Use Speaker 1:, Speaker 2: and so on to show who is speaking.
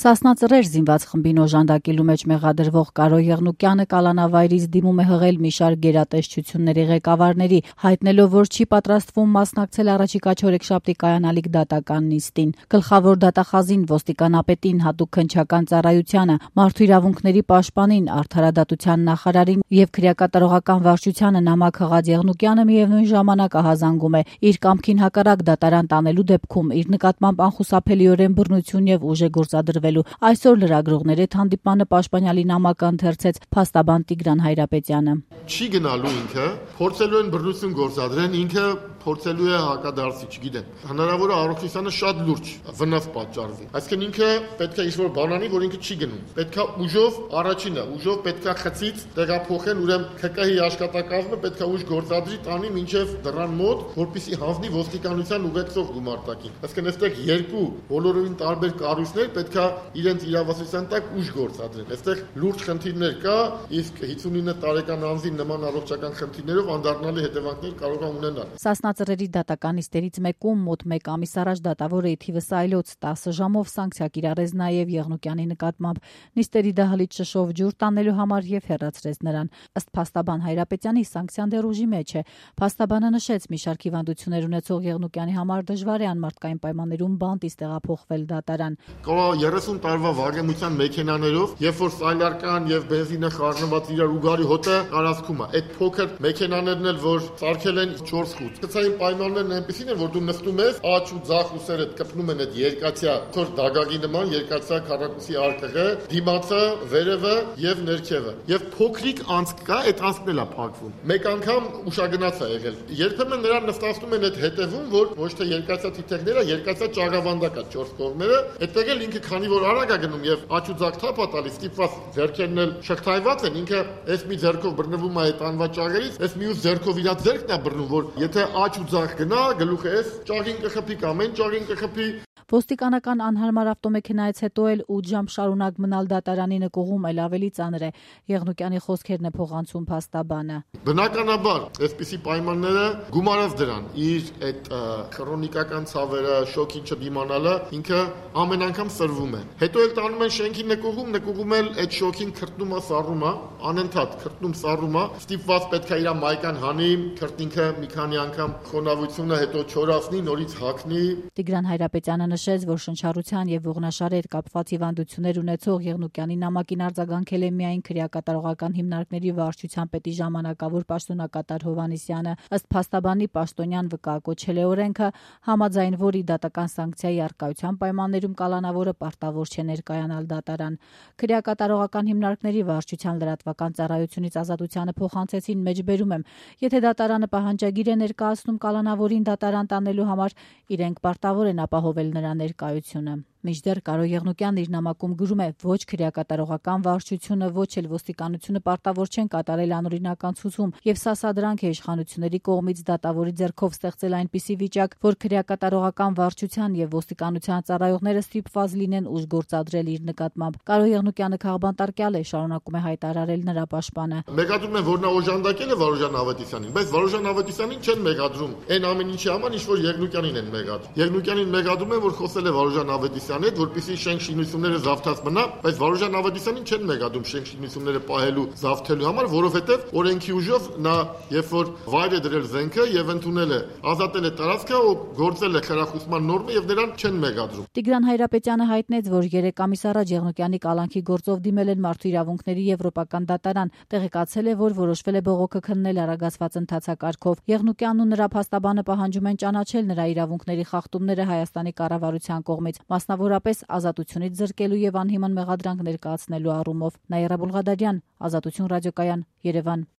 Speaker 1: Սասնա Ծռեր զինված խմբին օժանդակելու մեջ մեղադրվող Կարո Եղնուկյանը կալանավայրից դիմում է հղել մի շարք գերատեսչությունների ղեկավարների, հայտնելով, որ չի պատրաստվում մասնակցել առաջիկա չորեքշաբթի կայանալիք դատական նիստին։ Գլխավոր դատախազին, ոստիկանապետին, հատուկ քննչական ծառայությանը, մարդու իրավունքների պաշտպանին, արդարադատության նախարարին եւ քրեակատարողական վարչությանը նամակ հղած Եղնուկյանը միևնույն ժամանակ ահազանգում է իր կամքին հակառակ դատարան տանելու դեպքում իր նկատմամբ անխուսափելիորեն բռնություն եւ ուժ է գործադրվել։ Այսօր լրագրողների հետ հանդիպմանը պաշտպանյալի նամակը ընթերցեց փաստաբան Տիգրան Հայրապետյանը։
Speaker 2: Չի գնալու ինքը, փորձելու են բռնություն գործադրեն, ինքը փորձելու է հակադարձի, չգիտեմ։ Հնարավոր է առողջությանը շատ լուրջ վնաս պատճառվի։ Այսինքն ինքը պետք է ինչ-որ բան անի, որ ինքը չի գնում։ Պետք է ուժով, առաջինը, ուժով պետք է խցից տեղափոխեն, ուրեմն ԿԿՀ-ի աշխատակազմը պետք է ուժ գործադրի տանի մինչև դռան մոտ, որպեսզի հանձնի ոստիկանության ուղեկցող գումարտակին։ Այսինքն այստեղ երկու բոլորովին տարբեր կառույցներ պետք է իրենց իրավասության տակ ուժ գործադրեն։ Այստեղ լուրջ խնդիրներ կա, իսկ 59 տարեկան անձին նման առողջական խնդիրներով անդառնալի հետևանքներ կարող է ունենալ։
Speaker 1: Սասնա Ծռերի դատական նիստերից մեկում մոտ 1 ամիս առաջ դատավորը ի թիվս այլոց 10 ժամով սանկցիա կիրառեց նաև Եղնուկյանի նկատմամբ նիստերի դահլիճ շշով ջուր տանելու համար եւ հեռացրեց նրան։ Ըստ փաստաբան Հայրապետյանի սանկցիան դեռ ուժի մեջ է։ Փաստաբանը նշեց, մի շարք հիվանդություններ ունեցող Եղնուկյանի համար դժվար է անմարդկային պայմաններում բանտից տեղափոխվել դատարան։
Speaker 2: 30 տարվա վարժության մեքենաներով, երբ որ սայլարկան եւ բենզինը խառնված իրար ուգարի հոտը տարածքում է, այդ փոքր մեքենաներն էլ որ սարքել են 4 խուտ։ Գծային պայմաններն այնպեսին են, որ դու նստում ես, աջ ու ձախ ուսերը կպնում են այդ երկաթյա թոր դագագի նման երկաթյա քառակուսի արկղը, դիմացը, վերևը եւ ներքևը։ Եվ փոքրիկ անցք կա, այդ անցքն էլ է փակվում։ Մեկ անգամ ուշագնաց է եղել։ Երբեմն նրան նստացնում են այդ հետևում, որ ոչ թե երկաթյա թիթեղները, երկաթյա ճաղավանդակ է 4 կողմերը, այդտեղ էլ ինքը քանի որ արագ է գնում եւ աջ ու ձախ թափ է տալիս, ստիպված ձեռքերն էլ շղթայված են, ինքը այս մի ձեռքով բռնվում է այդ անվաճառերից, այս մյուս ձեռքով իր ձեռքն է բռնում, որ եթե աջ ու ձախ գնա, գլուխը էս ճաղին կխփի կամ այն ճաղին կխփի։
Speaker 1: Ոստիկանական անհարմար ավտոմեքենայից հետո էլ 8 ժամ շարունակ մնալ դատարանի նկուղում էլ ավելի ծանր է։ Եղնուկյանի խոսքերն է փոխանցում փաստաբանը։
Speaker 2: Բնականաբար, այսպիսի պայմանները գումարած դրան իր այդ քրոնիկական ցավերը, շոկին չդիմանալը ինքը ամեն անգամ սրվում է։ Հետո էլ տանում են շենքի նկուղում էլ այդ շոկին քրտնում է, սառում է, անընդհատ քրտնում, սառում է, ստիպված պետք է իր մայկան հանի, քրտինքը մի քանի անգամ խոնավությունը հետո չորացնի, նորից հագնի։
Speaker 1: Տիգրան Հայրապետյանը նշեց, որ շնչառության եւ ողնաշարի հետ կապված հիվանդություններ ունեցող Եղնուկյանի նամակին արձագանքել է միայն քրեակատարողական հիմնարկների վարչության պետի ժամանակավոր պաշտոնակատար Հովհաննիսյանը։ Ըստ փաստաբանի պաշտոնյան վկայակոչել է օրենքը, համաձայն որի դատական սանկցիայի առկայության պայմաններում կալանավորը պարտավոր չէ ներկայանալ դատարան։ Քրեակատարողական հիմնարկների վարչության լրատվական ծառայությունից ազատությանը փոխանցեցին մեջբերում եմ, եթե դատարանը պահանջագիր է ներկայացնում կալանավորին դատարան տանելու համար, իրենք պարտավոր են ապահովել նրա ներկայությունը։ Մինչդեռ Կարո Եղնուկյանն իր նամակում գրում է, ոչ քրեակատարողական վարչությունը, ոչ էլ ոստիկանությունը պարտավոր չեն կատարել անօրինական ցուցում եւ սա սադրանք է իշխանությունների կողմից դատավորի ձեռքով ստեղծել այնպիսի վիճակ, որ քրեակատարողական վարչության եւ ոստիկանության ծառայողները ստիպված լինեն ուժ գործադրել իր նկատմամբ։ Կարո Եղնուկյանը քաղբանտարկյալ է, շարունակում է հայտարարել նրա պաշտպանը։
Speaker 2: Մեղադրում են, որ նա օժանդակել է Վարուժան Ավետիսյանին, բայց Վարուժան Ավետիսյանին չեն մեղադրում այն ամեն ինչի համար, ինչ որ Եղնուկյանին են մեղադրում։ Եղնուկյանին մեղադրում են, որ խոսել է Վարուժան Ավետիսյանին հետ, որպեսզի շենք շինությունները զավթած մնա, բայց Վարուժան Ավետիսյանին չեն մեղադրում շենք շինությունները պահելու, զավթելու համար, որովհետև օրենքի ուժով նա երբ որ վայր է դրել զենքը եւ ընդունել է, ազատել է տարածքը, ու գործել է խրախուսման նորմը եւ նրան չեն մեղադրում։
Speaker 1: Տիգրան Հայրապետյանը հայտնեց, որ 3 ամիս առաջ Եղնուկյանի կալանքի գործով դիմել են Մարդու իրավունքների եվրոպական դատարան, տեղեկացել է, որ որոշվել է բողոքը քննել արագացված ընթացակարգով։ Եղնուկյանն ու նրա փաստաբանը պահանջում են ճանաչել նրա իրավունքների խախտումները Հայաստանի կառավարության կողմից, մասնավորապես ազատությունից զրկելու եւ անհիմն մեղադրանք ներկայացնելու առումով։ Նաիրա Բուլղադարյան, Ազատություն ռադիոկայան, Երևան։